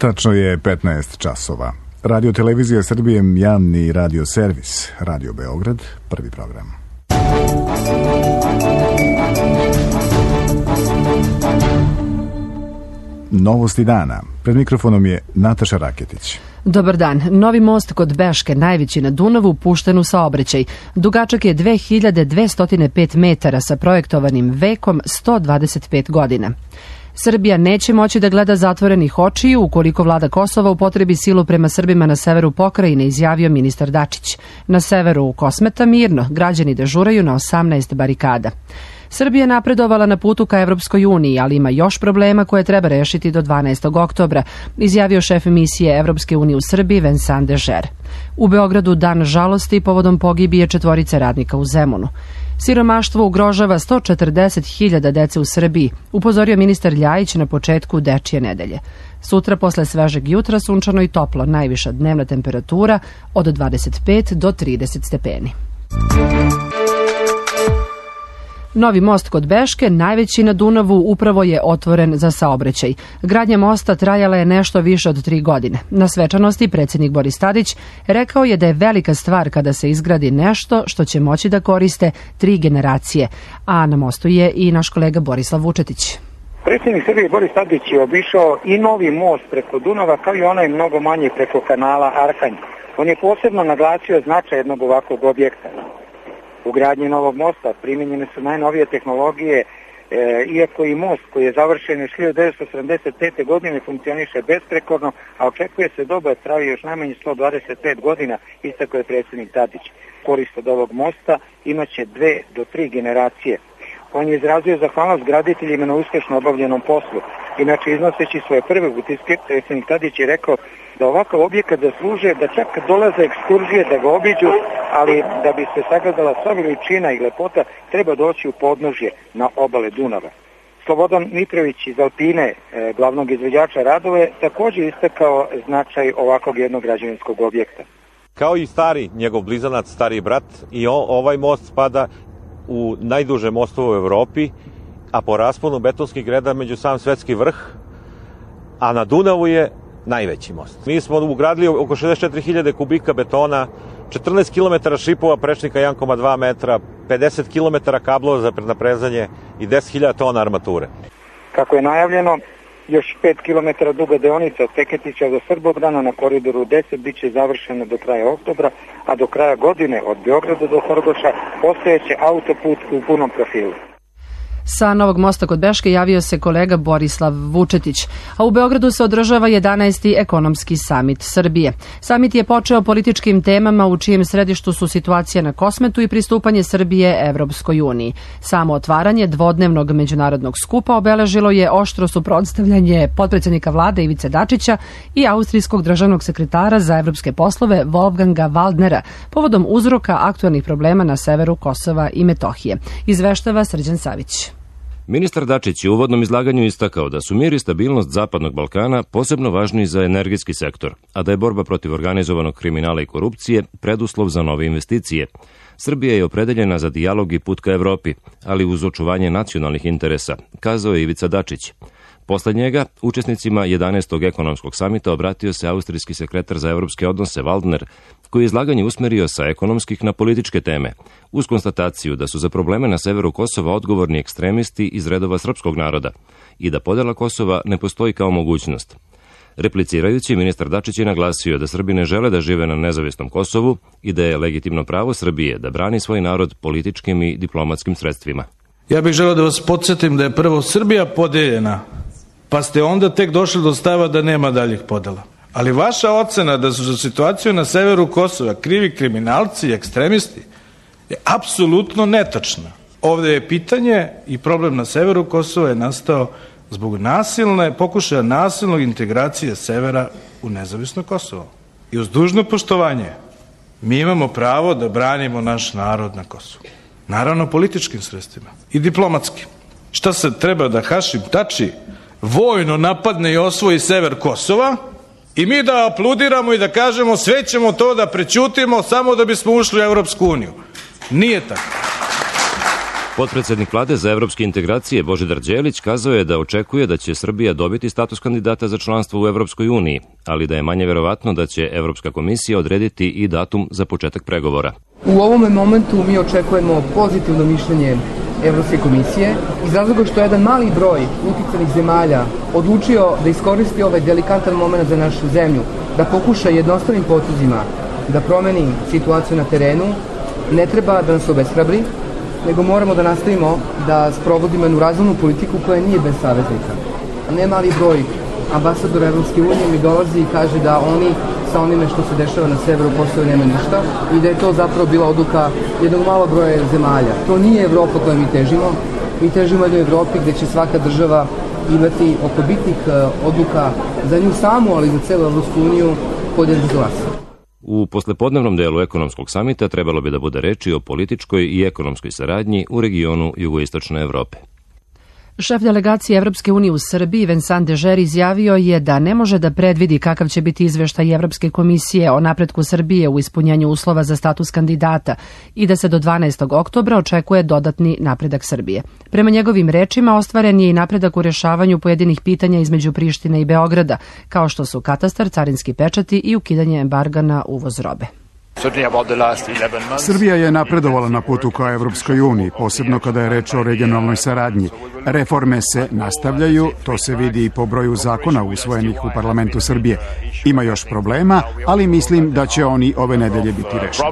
Tačno je 15 časova. Radio Televizija Srbije, javni radio servis, Radio Beograd, prvi program. Novosti dana. Pred mikrofonom je Nataša Raketić. Dobar dan. Novi most kod Beške, najveći na Dunavu, pušten u saobraćaj. Dugačak je 2205 metara sa projektovanim vekom 125 godina. Srbija neće moći da gleda zatvorenih očiju ukoliko vlada Kosova upotrebi silu prema Srbima na severu pokrajine, izjavio ministar Dačić. Na severu Kosmeta mirno, građani dežuraju na 18 barikada. Srbija je napredovala na putu ka Evropskoj uniji, ali ima još problema koje treba rešiti do 12. oktobra, izjavio šef misije Evropske unije u Srbiji Vincent Dežer. U Beogradu dan žalosti povodom pogibije 4 radnika u Zemunu. Siromaštvo ugrožava 140.000 dece u Srbiji, upozorio ministar Ljajić na početku dečije nedelje. Sutra posle svežeg jutra sunčano i toplo, najviša dnevna temperatura od 25 do 30 stepeni. Novi most kod Beške, najveći na Dunavu, upravo je otvoren za saobraćaj. Gradnja mosta trajala je nešto više od 3 godine. Na svečanosti predsjednik Boris Tadić rekao je da je velika stvar kada se izgradi nešto što će moći da koriste 3 generacije. A na mostu je i naš kolega Borislav Vučetić. Predsjednik Srbije Boris Tadić je obišao i novi most preko Dunava, kao i onaj mnogo manji preko kanala Arhanj. On je posebno naglasio značaj jednog ovakvog objekta. U gradnji novog mosta primijenjene su najnovije tehnologije, iako i most koji je završen još 1975. godine funkcioniše besprekorno, a očekuje se doba traje još najmanje 125 godina, istakao je predsjednik Tadić. Korist od ovog mosta imaće 2 do 3 generacije. On je izrazio zahvalnost graditeljima na uspješno obavljenom poslu. Inače, iznoseći svoje prve utiske, predsjednik Tadić je rekao da ovakav objekat zaslužuje da čak dolaze ekskurzije da ga obiđu, ali da bi se sagledala sva veličina i lepota, treba doći u podnožje na obale Dunava. Slobodan Mitrović iz Alpine, glavnog izvođača radove, također istakao značaj ovakvog jednog građevinskog objekta. Kao i stari njegov blizanac, stari brat, i ovaj most spada u najduže mostove u Evropi, a po rasponu betonskih greda među sam svetski vrh, a na Dunavu je najveći most. Mi smo ugradili oko 64.000 kubika betona, 14 km šipova prečnika 1,2 metra, 50 km kablova za naprezanje i 10.000 tona armature. Kako je najavljeno, još 5 km duga deonica od Feketića do Srbobdana na koridoru 10 bit će završena do kraja oktobra, a do kraja godine od Beograda do Horgoša postojeće autoput u punom profilu. Sa novog mosta kod Beške javio se kolega Borislav Vučetić, a u Beogradu se održava 11. ekonomski samit Srbije. Samit je počeo političkim temama u čijem središtu su situacija na Kosmetu i pristupanje Srbije Evropskoj uniji. Samo otvaranje dvodnevnog međunarodnog skupa obeležilo je oštro suprotstavljanje potpredsjednika vlade Ivice Dačića i austrijskog državnog sekretara za evropske poslove Wolfganga Waldnera povodom uzroka aktuelnih problema na severu Kosova i Metohije. Izveštava Srđan Savić. Ministar Dačić je u uvodnom izlaganju istakao da su mir i stabilnost Zapadnog Balkana posebno važni za energetski sektor, a da je borba protiv organizovanog kriminala i korupcije preduslov za nove investicije. Srbija je opredeljena za dijalog i put ka Evropi, ali uz očuvanje nacionalnih interesa, kazao je Ivica Dačić. Posle njega, učesnicima 11. ekonomskog samita obratio se austrijski sekretar za evropske odnose Waldner, koji je izlaganje usmerio sa ekonomskih na političke teme, uz konstataciju da su za probleme na severu Kosova odgovorni ekstremisti iz redova srpskog naroda i da podela Kosova ne postoji kao mogućnost. Replicirajući, ministar Dačić je naglasio da Srbi ne žele da žive na nezavisnom Kosovu i da je legitimno pravo Srbije da brani svoj narod političkim i diplomatskim sredstvima. Ja bih želeo da vas podsjetim da je prvo Srbija podeljena, pa ste onda tek došli do stava da nema daljih podela. Ali vaša ocena da su za situaciju na severu Kosova krivi kriminalci i ekstremisti je apsolutno netačna. Ovdje je pitanje i problem na severu Kosova je nastao zbog pokušaja nasilnog integracije severa u nezavisno Kosovo. I uz dužno poštovanje mi imamo pravo da branimo naš narod na Kosovu. Naravno političkim sredstvima i diplomatskim. Šta se treba da Hašim Tači vojno napadne i osvoji sever Kosova i mi da apludiramo i da kažemo sve ćemo to da prećutimo samo da bismo ušli u Evropsku uniju? Nije tako. Potpredsednik Vlade za evropske integracije Božidar Đelić kazao je da očekuje da će Srbija dobiti status kandidata za članstvo u Evropskoj uniji, ali da je manje verovatno da će Evropska komisija odrediti i datum za početak pregovora. U ovom momentu mi očekujemo pozitivno mišljenje Evropske komisije iz razloga što je jedan mali broj uticajnih zemalja odlučio da iskoristi ovaj delikatan moment za našu zemlju, da pokuša jednostavnim potezima da promeni situaciju na terenu. Ne treba da nas obeshrabri, nego moramo da nastavimo da sprovodimo jednu razumnu politiku koja nije bez saveznika. Ne mali broj ambasadora Evropske unije mi dolazi i kaže da oni sa onime što se dešava na severu Kosova nema ništa i da je to zapravo bila odluka jednog malog broja zemalja. To nije Evropa kojoj mi težimo. Mi težimo jednoj Evropi gde će svaka država imati oko bitnih odluka za nju samu, ali i za celu Evropsku uniju podjednak glas. U poslepodnevnom delu ekonomskog samita trebalo bi da bude reči o političkoj i ekonomskoj saradnji u regionu jugoistočne Evrope. Šef delegacije Evropske unije u Srbiji, Vincent Dežer, izjavio je da ne može da predvidi kakav će biti izveštaj Evropske komisije o napretku Srbije u ispunjenju uslova za status kandidata i da se do 12. oktobra očekuje dodatni napredak Srbije. Prema njegovim rečima, ostvaren je i napredak u rešavanju pojedinih pitanja između Prištine i Beograda, kao što su katastar, carinski pečati i ukidanje embarga na uvoz robe. Srbija je napredovala na putu ka Evropskoj uniji, posebno kada je reč o regionalnoj saradnji. Reforme se nastavljaju, to se vidi i po broju zakona usvojenih u parlamentu Srbije. Ima još problema, ali mislim da će oni ove nedelje biti rešeni.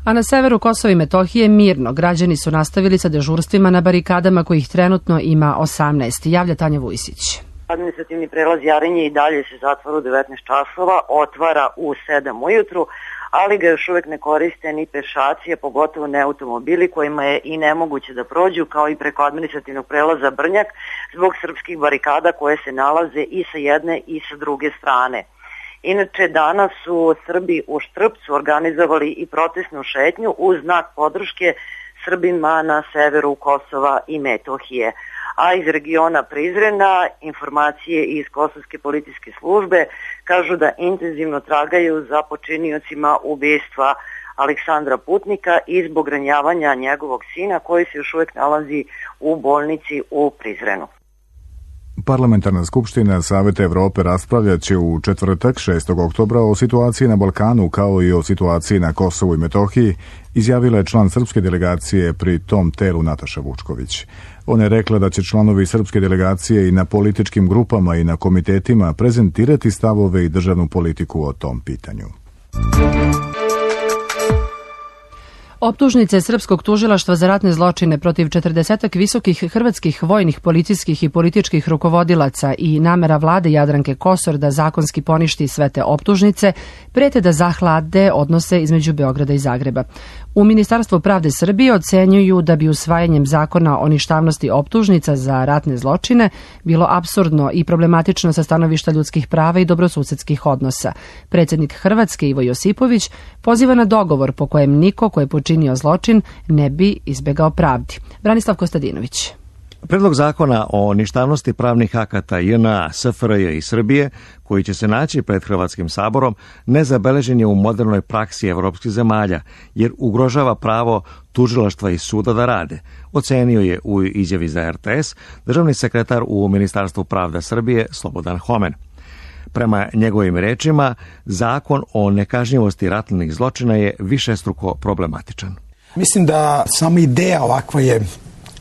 A na severu Kosova i Metohije mirno. Građani su nastavili sa dežurstvima na barikadama kojih trenutno ima 18. Javlja Tanja Vujsić. Administrativni prelaz Jarinje i dalje se zatvara u 19 časova, otvara u 7 ujutru, ali ga još uvek ne koriste ni pešaci, a pogotovo ne automobili kojima je i nemoguće da prođu, kao i preko administrativnog prelaza Brnjak zbog srpskih barikada koje se nalaze i sa jedne i sa druge strane. Inače, danas su Srbi u Štrpcu organizovali i protestnu šetnju uz znak podrške Srbima na severu Kosova i Metohije. A iz regiona Prizrena informacije iz Kosovske policijske službe kažu da intenzivno tragaju za počiniocima ubistva Aleksandra Putnika i zbog ranjavanja njegovog sina koji se još uvek nalazi u bolnici u Prizrenu. Parlamentarna skupština Saveta Evrope raspravljat će u četvrtak 6. oktobra o situaciji na Balkanu kao i o situaciji na Kosovu i Metohiji, izjavila je član srpske delegacije pri tom telu Nataša Vučković. Ona je rekla da će članovi srpske delegacije i na političkim grupama i na komitetima prezentirati stavove i državnu politiku o tom pitanju. Optužnice Srpskog tužilaštva za ratne zločine protiv 40 visokih hrvatskih vojnih, policijskih i političkih rukovodilaca i namera vlade Jadranke Kosor da zakonski poništi sve te optužnice prete da zahlade odnose između Beograda i Zagreba. U Ministarstvu pravde Srbije ocenjuju da bi usvajanjem zakona o ništavnosti optužnica za ratne zločine bilo apsurdno i problematično sa stanovišta ljudskih prava i dobrosusedskih odnosa. Predsjednik Hrvatske Ivo Josipović poziva na dogovor po kojem niko ko je počinio zločin ne bi izbegao pravdi. Branislav Kostadinović. Predlog zakona o ništavnosti pravnih akata JNA, SFRJ i Srbije, koji će se naći pred Hrvatskim saborom, nezabeležen je u modernoj praksi evropskih zemalja, jer ugrožava pravo tužilaštva i suda da rade, ocenio je u izjavi za RTS državni sekretar u Ministarstvu pravda Srbije Slobodan Homen. Prema njegovim rečima, zakon o nekažnjivosti ratnih zločina je višestruko problematičan. Mislim da sama ideja ovakva je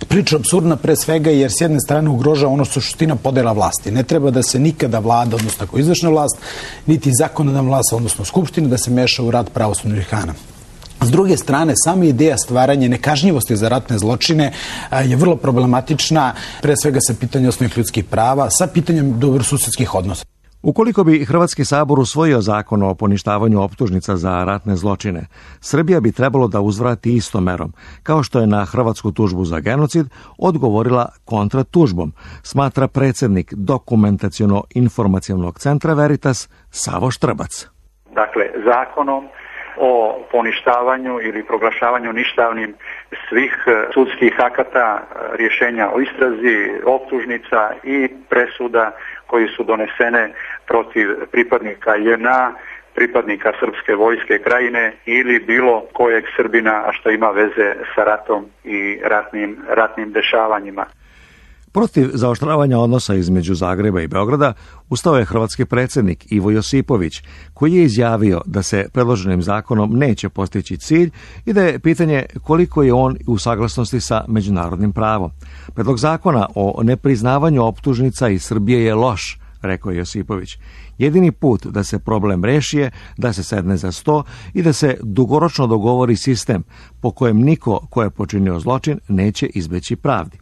priča apsurdna pre svega jer s jedne strane ugrožava ono što je suština podela vlasti. Ne treba da se nikada vlada, odnosno kao izvršna vlast, niti zakonodavna vlast, odnosno skupština, da se meša u rad pravosudnih organa. S druge strane, sama ideja stvaranja nekažnjivosti za ratne zločine je vrlo problematična, pre svega sa pitanjem osnovnih ljudskih prava, sa pitanjem dobrosusedskih odnosa. Ukoliko bi Hrvatski sabor usvojio zakon o poništavanju optužnica za ratne zločine, Srbija bi trebalo da uzvrati istom merom, kao što je na hrvatsku tužbu za odgovorila kontratužbom, smatra predsjednik Dokumentaciono-informacionog centra Veritas Savo Štrbac. Dakle, zakonom o poništavanju ili proglašavanju ništavnim svih sudskih akata, rješenja o istrazi, optužnica i presuda koji su donesene protiv pripadnika JNA pripadnika srpske vojske krajine ili bilo kojeg Srbina, a što ima veze sa ratom i ratnim dešavanjima. Protiv zaoštravanja odnosa između Zagreba i Beograda ustao je hrvatski predsjednik Ivo Josipović, koji je izjavio da se predloženim zakonom neće postići cilj i da je pitanje koliko je on u saglasnosti sa međunarodnim pravom. Predlog zakona o nepriznavanju optužnica iz Srbije je loš, rekao je Josipović. Jedini put da se problem reši je da se sedne za sto i da se dugoročno dogovori sistem po kojem niko ko je počinio zločin neće izbeći pravdi.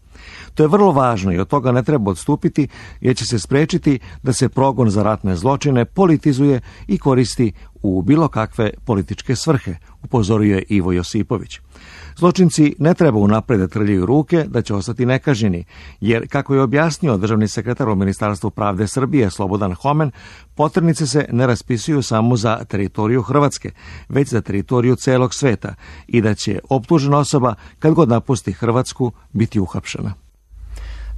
To je vrlo važno i od toga ne treba odstupiti jer će se sprečiti da se progon za ratne zločine politizuje i koristi u bilo kakve političke svrhe, upozorio je Ivo Josipović. Zločinci ne treba unapred da trljaju ruke da će ostati nekažnjeni, jer, kako je objasnio državni sekretar u Ministarstvu pravde Srbije Slobodan Homen, poternice se ne raspisuju samo za teritoriju Hrvatske, već za teritoriju celog sveta i da će optužena osoba, kad god napusti Hrvatsku, biti uhapšena.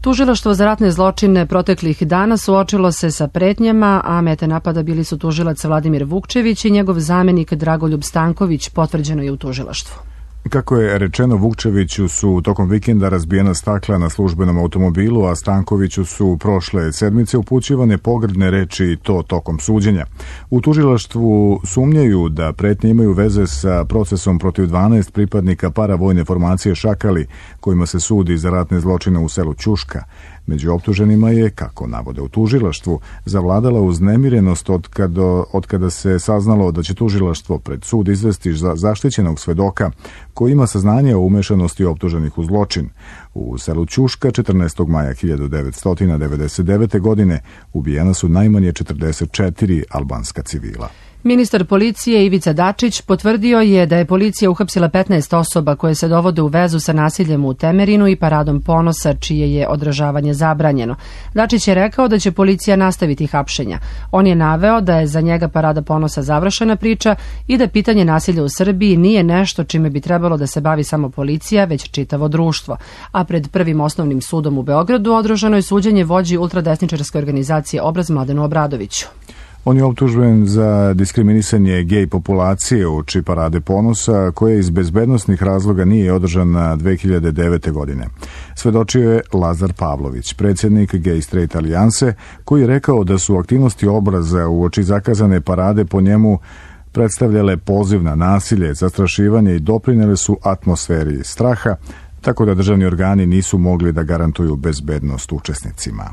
Tužilaštvo za ratne zločine proteklih dana suočilo se sa pretnjama, a mete napada bili su tužilac Vladimir Vukčević i njegov zamenik Dragoljub Stanković, potvrđeno je u tužilaštvu. Kako je rečeno, Vukčeviću su tokom vikenda razbijena stakla na službenom automobilu, a Stankoviću su prošle sedmice upućivane pogrdne reči i to tokom suđenja. U tužilaštvu sumnjaju da pretnje imaju veze sa procesom protiv 12 pripadnika paravojne formacije Šakali, kojima se sudi za ratne zločine u selu Ćuška. Među optuženima je, kako navode u tužilaštvu, zavladala uznemirenost od kada se saznalo da će tužilaštvo pred sud izvesti za zaštićenog svedoka koji ima saznanje o umešanosti optuženih u zločin. U selu Ćuška 14. maja 1999. godine ubijena su najmanje 44 albanska civila. Ministar policije Ivica Dačić potvrdio je da je policija uhapsila 15 osoba koje se dovode u vezu sa nasiljem u Temerinu i paradom ponosa, čije je održavanje zabranjeno. Dačić je rekao da će policija nastaviti hapšenja. On je naveo da je za njega parada ponosa završena priča i da pitanje nasilja u Srbiji nije nešto čime bi trebalo da se bavi samo policija, već čitavo društvo. A pred Prvim osnovnim sudom u Beogradu održano je suđenje vođi ultradesničarske organizacije Obraz Mladenu Obradoviću. On je optužen za diskriminisanje gej populacije uoči parade ponosa, koja iz bezbednosnih razloga nije održana 2009. godine. Svedočio je Lazar Pavlović, predsjednik Gay Straight Alijanse, koji je rekao da su aktivnosti Obraza uoči zakazane parade po njemu predstavljale poziv na nasilje, zastrašivanje i doprinele su atmosferi straha, tako da državni organi nisu mogli da garantuju bezbednost učesnicima.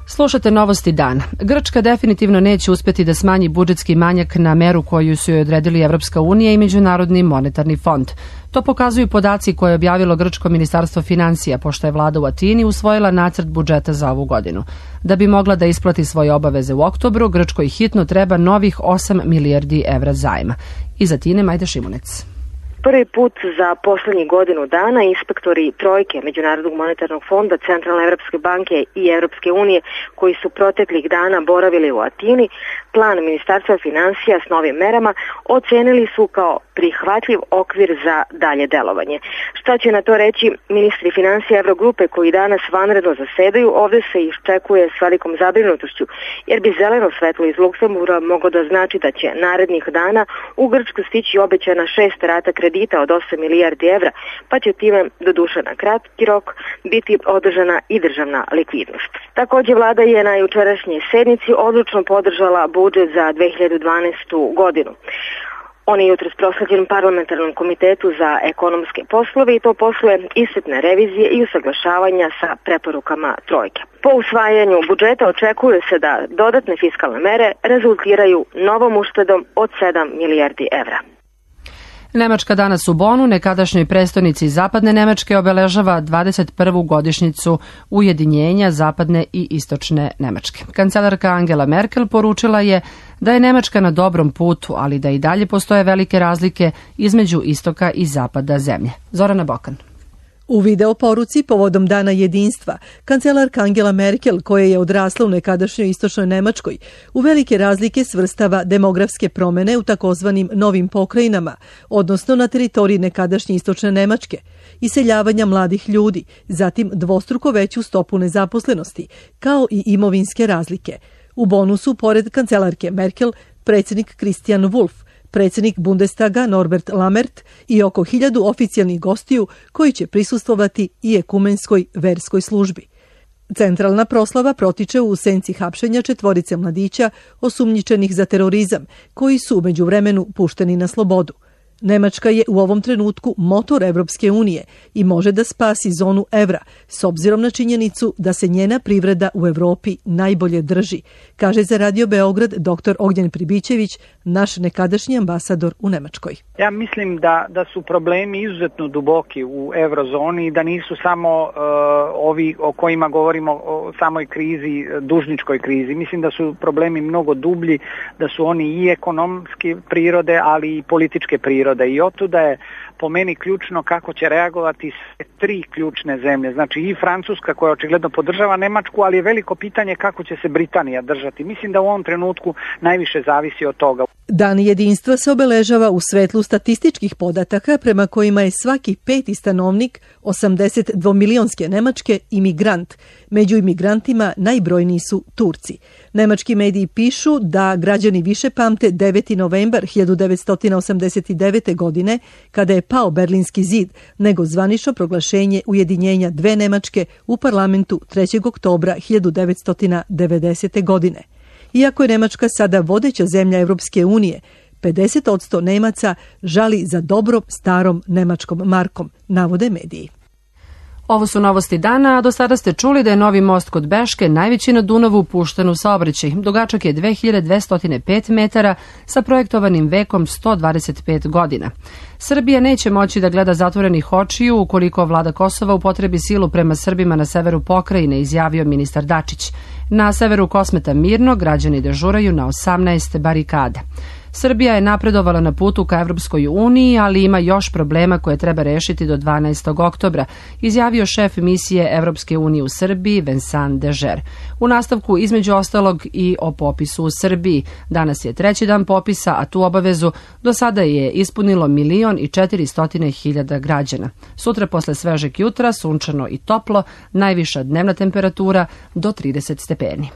Slušate Novosti dana. Grčka definitivno neće uspjeti da smanji budžetski manjak na meru koju su joj odredili Evropska unija i Međunarodni monetarni fond. To pokazuju podaci koje je objavilo Grčko ministarstvo financija, pošto je vlada u Atini usvojila nacrt budžeta za ovu godinu. Da bi mogla da isplati svoje obaveze u oktobru, Grčkoj hitno treba novih 8 milijardi evra zajma. Iz Atine Majda Šimunec. Prvi put za poslednjih godinu dana inspektori trojke Međunarodnog monetarnog fonda, Centralne Evropske banke i Evropske unije, koji su proteklih dana boravili u Atini, plan Ministarstva financija s novim merama ocenili su kao prihvatljiv okvir za dalje delovanje. Šta će na to reći ministri financija Evrogrupe koji danas vanredno zasedaju, ovde se iščekuje s velikom zabrinutošću, jer bi zeleno svetlo iz Luksemburga moglo da znači da će narednih dana u Grčku stići obećana 6 rata kredita od 8 milijardi evra, pa će time, doduše na kratki rok, biti održana i državna likvidnost. Takođe, vlada je na jučerašnjoj sednici odlučno podržala budžet za 2012. godinu. On je jutros prosleđen parlamentarnom komitetu za ekonomske poslove i to posle iscrpne revizije i usaglašavanja sa preporukama trojke. Po usvajanju budžeta očekuje se da dodatne fiskalne mere rezultiraju novom uštedom od 7 milijardi evra. Nemačka danas u Bonu, nekadašnjoj prestonici Zapadne Nemačke, obeležava 21. godišnjicu ujedinjenja Zapadne i Istočne Nemačke. Kancelarka Angela Merkel poručila je da je Nemačka na dobrom putu, ali da i dalje postoje velike razlike između istoka i zapada zemlje. Zorana Bokan. U video poruci povodom Dana jedinstva, kancelarka Angela Merkel, koja je odrasla u nekadašnjoj istočnoj Nemačkoj, u velike razlike svrstava demografske promene u takozvanim novim pokrajinama, odnosno na teritoriji nekadašnje istočne Nemačke, iseljavanja mladih ljudi, zatim dvostruko veću stopu nezaposlenosti, kao i imovinske razlike. U bonusu, pored kancelarke Merkel, predsjednik Christian Wulff, predsjednik Bundestaga Norbert Lammert i oko 1000 oficijalnih gostiju koji će prisustvovati i ekumenskoj verskoj službi. Centralna proslava protiče u senci hapšenja 4 mladića osumnjičenih za terorizam, koji su u međuvremenu pušteni na slobodu. Nemačka je u ovom trenutku motor Evropske unije i može da spasi zonu evra, s obzirom na činjenicu da se njena privreda u Evropi najbolje drži, kaže za Radio Beograd dr. Ognjen Pribićević, naš nekadašnji ambasador u Nemačkoj. Ja mislim da su problemi izuzetno duboki u eurozoni i da nisu samo ovi o kojima govorimo o samoj krizi, dužničkoj krizi. Mislim da su problemi mnogo dublji, da su oni i ekonomske prirode, ali i političke prirode. I otuda je po meni ključno kako će reagovati sve 3 ključne zemlje. Znači i Francuska koja očigledno podržava Nemačku, ali je veliko pitanje kako će se Britanija držati. Mislim da u ovom trenutku najviše zavisi od toga. Dan jedinstva se obeležava u svetlu statističkih podataka prema kojima je svaki 5. stanovnik 82-milionske Nemačke imigrant. Među imigrantima najbrojniji su Turci. Nemački mediji pišu da građani više pamte 9. novembar 1989. godine, kada je pao Berlinski zid, nego zvanično proglašenje ujedinjenja 2 Nemačke u parlamentu 3. oktobra 1990. godine. Iako je Nemačka sada vodeća zemlja Evropske unije, 50% Nemaca žali za dobrom starom nemačkom markom, navode mediji. Ovo su novosti dana, a do sada ste čuli da je novi most kod Beške, najveći na Dunavu, pušten u saobraćaj. Dugačak je 2205 metara sa projektovanim vekom 125 godina. Srbija neće moći da gleda zatvorenih očiju ukoliko vlada Kosova upotrebi silu prema Srbima na severu pokrajine, izjavio ministar Dačić. Na severu Kosmeta mirno građani dežuraju na 18 barikada. Srbija je napredovala na putu ka Evropskoj uniji, ali ima još problema koje treba rešiti do 12. oktobra, izjavio šef misije Evropske unije u Srbiji Vincent Dežer. U nastavku između ostalog i o popisu u Srbiji. Danas je 3. dan popisa, a tu obavezu do sada je ispunilo 1.400.000 građana. Sutra posle svežeg jutra sunčano i toplo, najviša dnevna temperatura do 30 stepeni.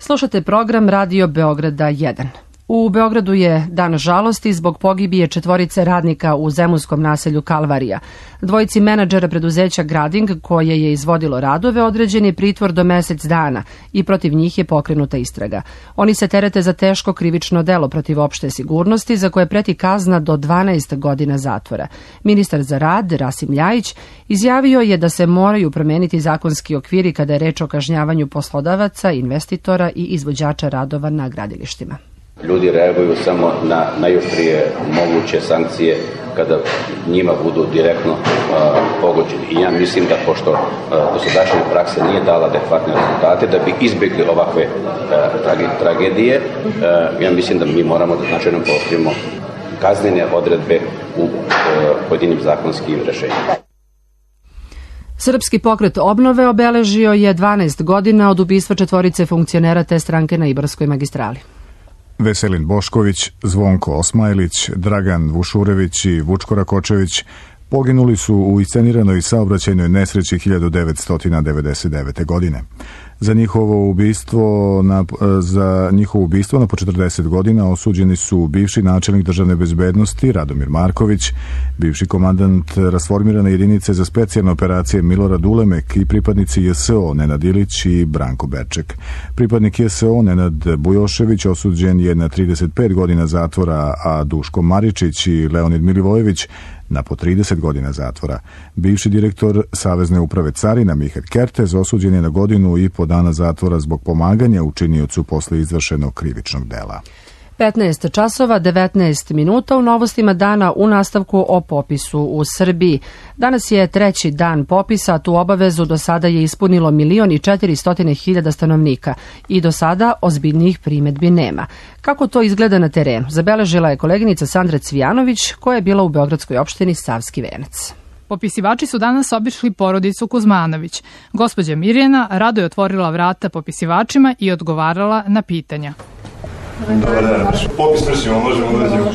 Slušate program Radio Beograda 1. U Beogradu je dan žalosti zbog pogibije 4 radnika u zemunskom naselju Kalvarija. 2 menadžera preduzeća Grading, koje je izvodilo radove, određen je pritvor do mesec dana i protiv njih je pokrenuta istraga. Oni se terete za teško krivično delo protiv opšte sigurnosti, za koje preti kazna do 12 godina zatvora. Ministar za rad, Rasim Ljajić, izjavio je da se moraju promeniti zakonski okviri kada je reč o kažnjavanju poslodavaca, investitora i izvođača radova na gradilištima. Ljudi reaguju samo na najoštrije moguće sankcije kada njima budu direktno pogođeni. I ja mislim da pošto dosadašnja praksa nije dala adekvatne rezultate, da bi izbjegli ovakve tragedije, ja mislim da mi moramo da značajno pooštrimo kaznene odredbe u pojedinim zakonskim rešenjima. Srpski pokret obnove obeležio je 12 godina od ubistva 4 funkcionera te stranke na Ibarskoj magistrali. Veselin Bošković, Zvonko Osmajlić, Dragan Vušurević i Vučko Rakočević poginuli su u isceniranoj saobraćajnoj nesreći 1999. godine. Za njihovo ubistvo na po 40 godina osuđeni su bivši načelnik državne bezbednosti Radomir Marković, bivši komandant rasformirane jedinice za specijalne operacije Milorad Ulemek i pripadnici JSO Nenad Ilić i Branko Berček. Pripadnik JSO Nenad Bujošević osuđen je na 35 godina zatvora, a Duško Maričić i Leonid Milivojević na po 30 godina zatvora. Bivši direktor Savezne uprave carina Mihael Kertez osuđen je na 1,5 godine dana zatvora zbog pomaganja učiniocu posle izvršenog krivičnog dela. 15 časova, 19 minuta u novostima dana u nastavku o popisu u Srbiji. Danas je 3. dan popisa, a tu obavezu do sada je ispunilo 1.400.000 stanovnika i do sada ozbiljnijih primedbi nema. Kako to izgleda na terenu? Zabeležila je koleginica Sandra Cvijanović, koja je bila u beogradskoj opštini Savski Venac. Popisivači su danas obišli porodicu Kuzmanović. Gospođa Mirjana rado je otvorila vrata popisivačima i odgovarala na pitanja. Dobar dan. Popis vršimo, možemo uđemo.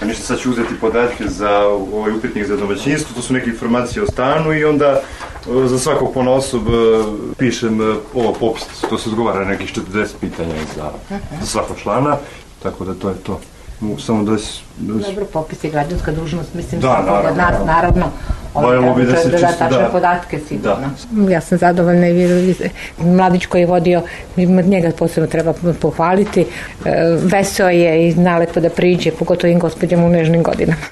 Ništa, sad ću uzeti podatke za ovaj upitnik za domaćinstvo, to su neke informacije o stanu i onda Za svakog ponaosob pišem ovo popis, to se odgovara nekih 40 pitanja za svakog člana, tako da to je to. Mogu samo da... Dobro, popis je građanska dužnost, mislim, naravno. Naravno, da tačne podatke, sigurno. Ja sam zadovoljna i mladić koji je vodio, njega posebno treba pohvaliti, veseo je i zna lepo da priđe, pogotovo im gospođama u nežnim godinama.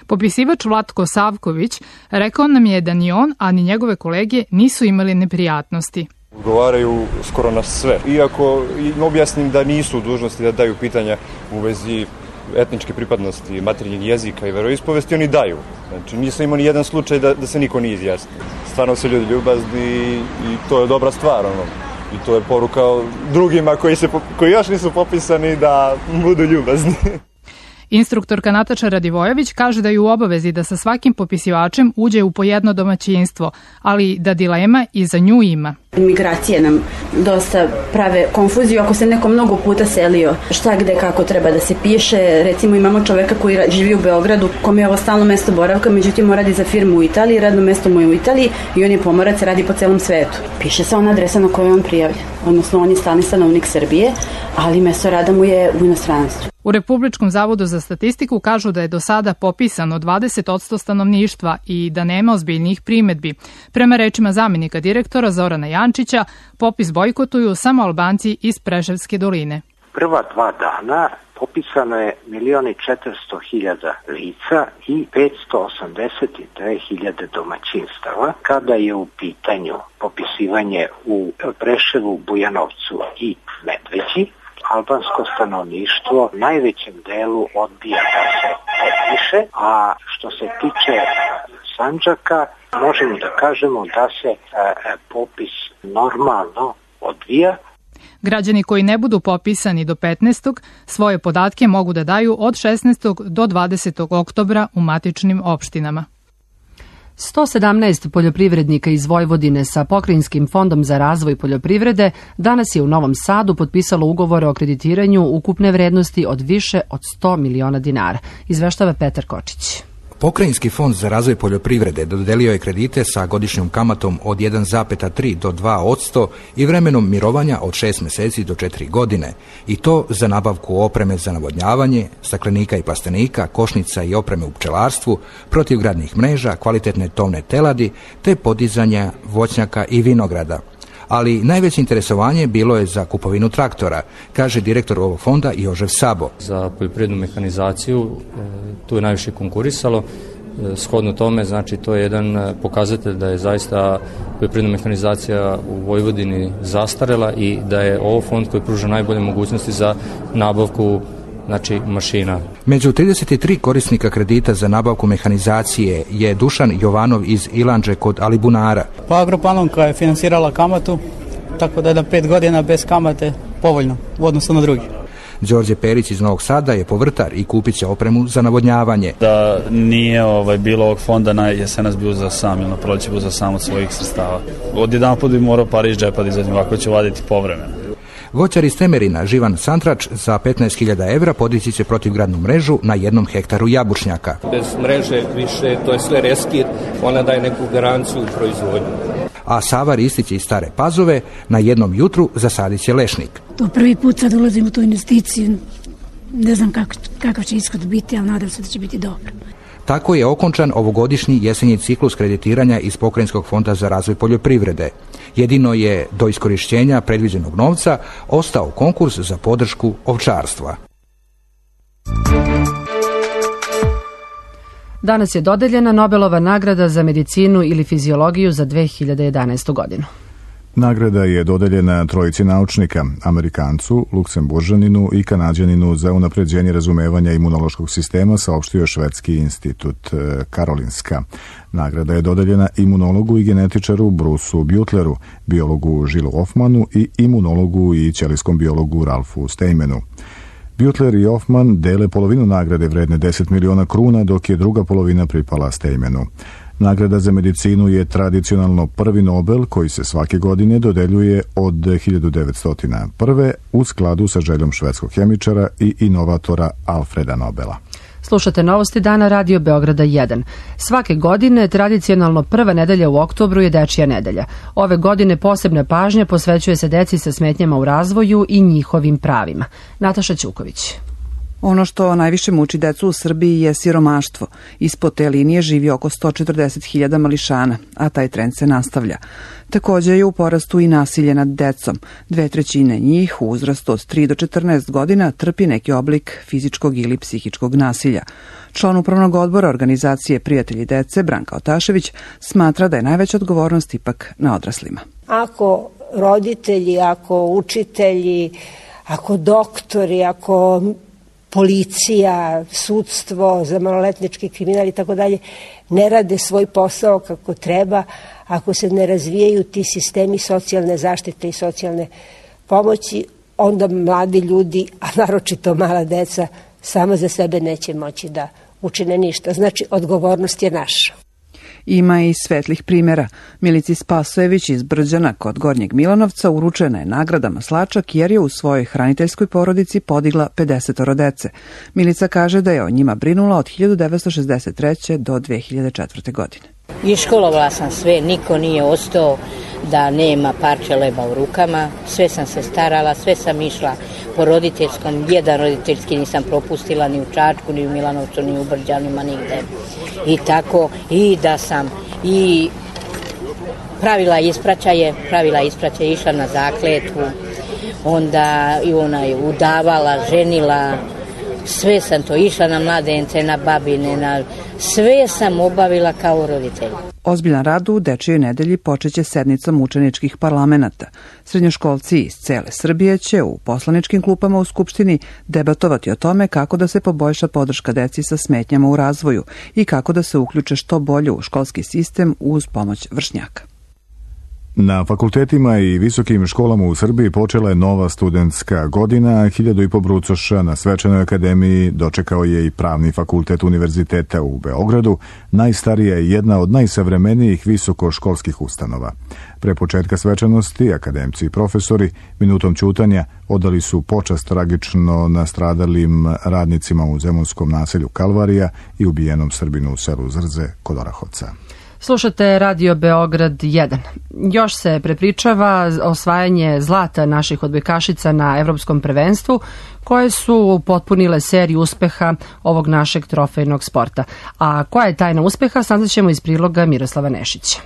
Popisivač Vlatko Savković rekao nam je da ni on, a ni njegove kolege nisu imali neprijatnosti. Odgovaraju skoro na sve. Iako objasnim da nisu u dužnosti da daju pitanja u vezi etničke pripadnosti, materinjeg jezika i veroispovesti, oni daju. Znači, nisam imao ni jedan slučaj da se niko nije izjasnio. Stvarno su ljudi ljubazni i to je dobra stvar. I to je poruka drugima koji još nisu popisani da budu ljubazni. Instruktorka Nataša Radivojević kaže da je u obavezi da sa svakim popisivačem uđe u po jedno domaćinstvo, ali da dilema i za nju ima. Migracije nam dosta prave konfuziju ako se neko mnogo puta selio. Šta, gde, kako treba da se piše. Recimo imamo čoveka koji živi u Beogradu, kome je ovo stalno mesto boravka, međutim on radi za firmu u Italiji, radno mesto mu je u Italiji i on je pomorac, radi po celom svetu. Piše se ona adresa na kojoj on prijavljen. Odnosno on je stalni stanovnik Srbije, ali mesto rada mu je u inostranstvu. U Republičkom zavodu za statistiku kažu da je do sada popisano 20% stanovništva i da nema ozbiljnih primedbi. Prema rečima zamenika direktora Zorana Jančića, popis bojkotuju samo Albanci iz Preševske doline. Prva 2 dana popisano je 1.400.000 lica i 582.000 domaćinstava. Kada je u pitanju popisivanje u Preševu, Bujanovcu i Medveđi, albansko stanovništvo najvećem delu odbija da se popiše, a što se tiče Sandžaka, možemo da kažemo da se popis normalno odvija. Građani koji ne budu popisani do 15. svoje podatke mogu da daju od 16. do 20. oktobra u matičnim opštinama. 117 poljoprivrednika iz Vojvodine sa Pokrajinskim fondom za razvoj poljoprivrede danas je u Novom Sadu potpisalo ugovore o kreditiranju ukupne vrednosti od više od 100 miliona dinara, izveštava Petar Kočić. Pokrajinski fond za razvoj poljoprivrede dodelio je kredite sa godišnjom kamatom od 1,3 do 2% i vremenom mirovanja od 6 meseci do 4 godine. I to za nabavku opreme za navodnjavanje, staklenika i plastenika, košnica i opreme u pčelarstvu, protivgradnih mreža, kvalitetne tovne teladi, te podizanja voćnjaka i vinograda. Ali najveće interesovanje bilo je za kupovinu traktora, kaže direktor ovog fonda Jožef Sabo. Za poljoprivrednu mehanizaciju tu je najviše konkurisalo. Shodno tome, znači to je jedan pokazatelj da je zaista poljoprivredna mehanizacija u Vojvodini zastarela i da je ovo fond koji pruža najbolje mogućnosti za nabavku mašina. Među 33 korisnika kredita za nabavku mehanizacije je Dušan Jovanov iz Ilandže kod Alibunara. Pa Agropanonka je finansirala kamatu, tako da je na 5 godina bez kamate povoljno u odnosu na drugi. Đorđe Perić iz Novog Sada je povrtar i kupit će opremu za navodnjavanje. Da nije bilo ovog fonda, na jesenas bio za sam ili na proleće bio za sam od svojih sredstava. Odjedan put bi morao pare iz džepa da izađem, ovako će vaditi povremeno. Voćar iz Temerina, Živan Santrač, za 15.000 evra podići će protivgradnu mrežu na 1 hektaru jabučnjaka. Bez mreže više, to je sve reskir, ona daje neku garanciju u proizvodnju. A Sava Ristić iz Stare Pazove na 1 jutru zasadit će lešnik. To prvi put sad ulazim u tu investiciju, ne znam kakav će ishod biti, ali nadam se da će biti dobro. Tako je okončan ovogodišnji jesenji ciklus kreditiranja iz Pokrajinskog fonda za razvoj poljoprivrede. Jedino je do iskorišćenja predviđenog novca ostao konkurs za podršku ovčarstva. Danas je dodeljena Nobelova nagrada za medicinu ili fiziologiju za 2011. godinu. Nagrada je dodeljena trojici naučnika, Amerikancu, Luksemburžaninu i Kanađaninu za unapređenje razumevanja imunološkog sistema, saopštio Švedski institut Karolinska. Nagrada je dodeljena imunologu i genetičaru Bruceu Butleru, biologu Žilu Hoffmanu i imunologu i ćelijskom biologu Ralfu Steinmanu. Butler i Hoffman dele polovinu nagrade vredne 10 miliona kruna, dok je druga polovina pripala Steinmanu. Nagrada za medicinu je tradicionalno prvi Nobel koji se svake godine dodeljuje od 1901. u skladu sa željom švedskog hemičara i inovatora Alfreda Nobela. Slušate Novosti dana Radio Beograda 1. Svake godine tradicionalno prva nedelja u oktobru je Dečija nedelja. Ove godine posebna pažnja posvećuje se deci sa smetnjama u razvoju i njihovim pravima. Nataša Ćuković. Ono što najviše muči decu u Srbiji je siromaštvo. Ispod te linije živi oko 140.000 mališana, a taj trend se nastavlja. Također je u porastu i nasilje nad decom. 2/3 njih u uzrastu od 3 do 14 godina trpi neki oblik fizičkog ili psihičkog nasilja. Član upravnog odbora organizacije Prijatelji dece, Branka Otašević, smatra da je najveća odgovornost ipak na odraslima. Ako roditelji, ako učitelji, ako doktori, ako policija, sudstvo za maloletnički kriminal i tako dalje ne rade svoj posao kako treba, ako se ne razvijaju ti sistemi socijalne zaštite i socijalne pomoći, onda mladi ljudi, a naročito mala deca, sama za sebe neće moći da učine ništa. Znači, odgovornost je naša. Ima i svetlih primjera. Milici Spasojević iz Brđana kod Gornjeg Milanovca uručena je nagrada Maslačak jer je u svojoj hraniteljskoj porodici podigla 50 dece. Milica kaže da je o njima brinula od 1963. do 2004. godine. Iškolovala sam sve, niko nije ostao da nema parče leba u rukama, sve sam se starala, sve sam išla po roditeljskom, jedan roditeljski nisam propustila ni u Čačku, ni u Milanovcu, ni u Brđanima, nigde. I tako, i da sam i pravila ispraćaje, išla na zakletvu, onda i ona je udavala, ženila, sve sam to, išla na mladence, na babine, sve sam obavila kao roditelj. Ozbiljan rad u Dečijoj nedelji počeće sednicom učeničkih parlamenata. Srednjoškolci iz cele Srbije će u poslaničkim klupama u Skupštini debatovati o tome kako da se poboljša podrška deci sa smetnjama u razvoju i kako da se uključe što bolje u školski sistem uz pomoć vršnjaka. Na fakultetima i visokim školama u Srbiji počela je nova studentska godina. 1.500 brucoša na Svečanoj akademiji dočekao je i Pravni fakultet Univerziteta u Beogradu, najstarija i jedna od najsavremenijih visokoškolskih ustanova. Pre početka svečanosti, akademci i profesori minutom ćutanja odali su počast tragično nastradalim radnicima u zemunskom naselju Kalvarija i ubijenom Srbinu u selu Zrze kod Orahovca. Slušate Radio Beograd 1. Još se prepričava osvajanje zlata naših odbojkašica na Evropskom prvenstvu, koje su potpunile seriju uspeha ovog našeg trofejnog sporta. A koja je tajna uspeha, saznaćemo iz priloga Miroslava Nešića.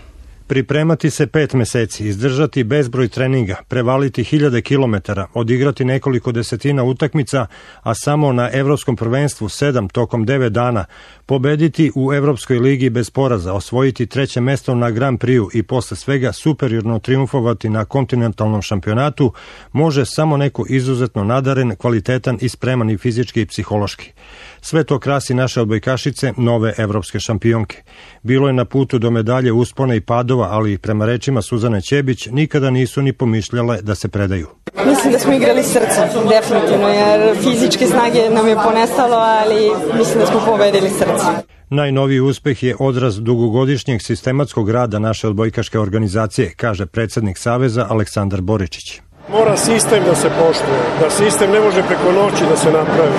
Pripremati se 5 meseci, izdržati bezbroj treninga, prevaliti 1000 kilometara, odigrati nekoliko desetina utakmica, a samo na Evropskom prvenstvu 7 tokom 9 dana, pobediti u Evropskoj ligi bez poraza, osvojiti 3. mesto na Grand Prix i posle svega superiorno triumfovati na kontinentalnom šampionatu, može samo neko izuzetno nadaren, kvalitetan i spreman i fizički i psihološki. Sve to krasi naše odbojkašice, nove evropske šampionke. Bilo je na putu do medalje uspona i padova, ali prema rečima Suzane Ćebić nikada nisu ni pomišljale da se predaju. Mislim da smo igrali srcem, definitivno, jer fizičke snage nam je ponestalo, ali mislim da smo pobedili srce. Najnoviji uspeh je odraz dugogodišnjeg sistematskog rada naše odbojkaške organizacije, kaže predsjednik Saveza Aleksandar Boričić. Mora sistem da se poštuje, da sistem ne može preko noći da se napravi.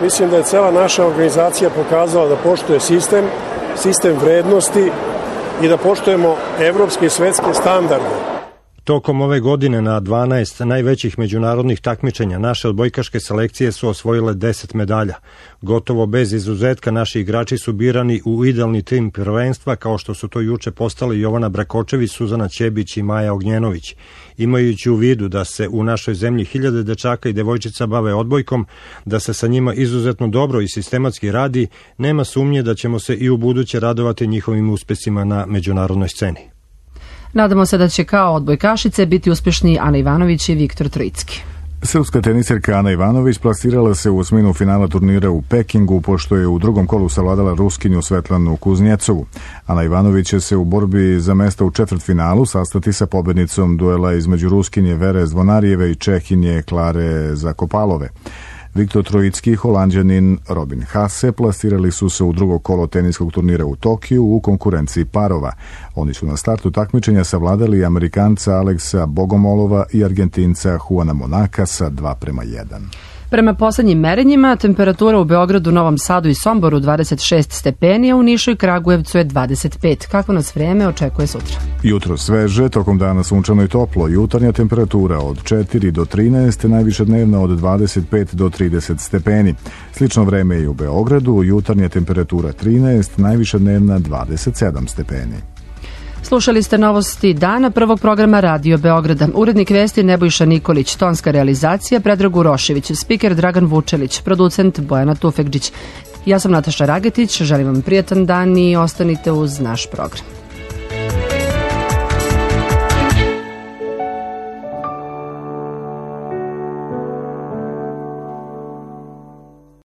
Mislim da je cela naša organizacija pokazala da poštuje sistem vrednosti i da poštujemo evropske i svetske standarde. Tokom ove godine na 12 najvećih međunarodnih takmičenja naše odbojkaške selekcije su osvojile 10 medalja. Gotovo bez izuzetka naši igrači su birani u idealni tim prvenstva, kao što su to juče postali Jovana Brakočević, Suzana Ćebić i Maja Ognjenović. Imajući u vidu da se u našoj zemlji 1000 dečaka i devojčica bave odbojkom, da se sa njima izuzetno dobro i sistematski radi, nema sumnje da ćemo se i u buduće radovati njihovim uspesima na međunarodnoj sceni. Nadamo se da će kao odbojkašice biti uspješni Ana Ivanović i Viktor Trojicki. Srpska teniserka Ana Ivanović plasirala se u osminu finala turnira u Pekingu, pošto je u drugom kolu savladala Ruskinju Svetlanu Kuznjecovu. Ana Ivanović će se u borbi za mesto u četvrtfinalu sastati sa pobednicom duela između Ruskinje Vere Zvonarijeve i Čehinje Klare Zakopalove. Viktor Trojicki i Holanđanin Robin Haase plasirali su se u drugo kolo teniskog turnira u Tokiju u konkurenciji parova. Oni su na startu takmičenja savladali Amerikanca Aleksa Bogomolova i Argentinca Juana Monaka sa 2:1. Prema poslednjim merenjima, temperatura u Beogradu, Novom Sadu i Somboru 26 stepeni, a u Nišu i Kragujevcu je 25. Kako nas vreme očekuje sutra? Jutro sveže, tokom dana sunčano i toplo, jutarnja temperatura od 4 do 13, najviša dnevna od 25 do 30 stepeni. Slično vreme i u Beogradu, jutarnja temperatura 13, najviša dnevna 27 stepeni. Slušali ste novosti dana prvog programa Radio Beograda. Urednik vesti Nebojša Nikolić, tonska realizacija Predrag Urošević, spiker Dragan Vučelić, producent Bojana Tufekđić. Ja sam Nataša Ragetić, želim vam prijatan dan i ostanite uz naš program.